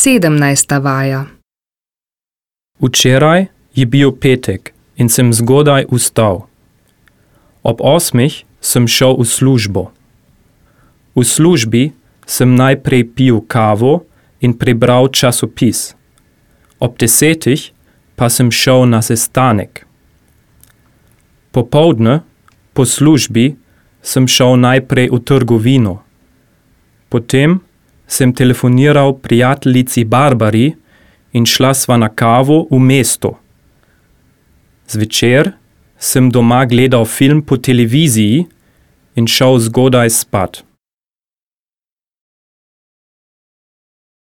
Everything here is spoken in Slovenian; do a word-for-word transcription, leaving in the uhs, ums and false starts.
Sedemnajsta vaja. Včeraj je bil petek in sem zgodaj vstal. Ob osmih sem šel v službo. V službi sem najprej pil kavo in prebral časopis. Ob desetih pa sem šel na sestanek. Popoldne, po službi, sem šel najprej v trgovino. Potem sem telefoniral prijateljici Barbari in šla sva na kavo v mesto. Zvečer sem doma gledal film po televiziji in šel zgodaj spat.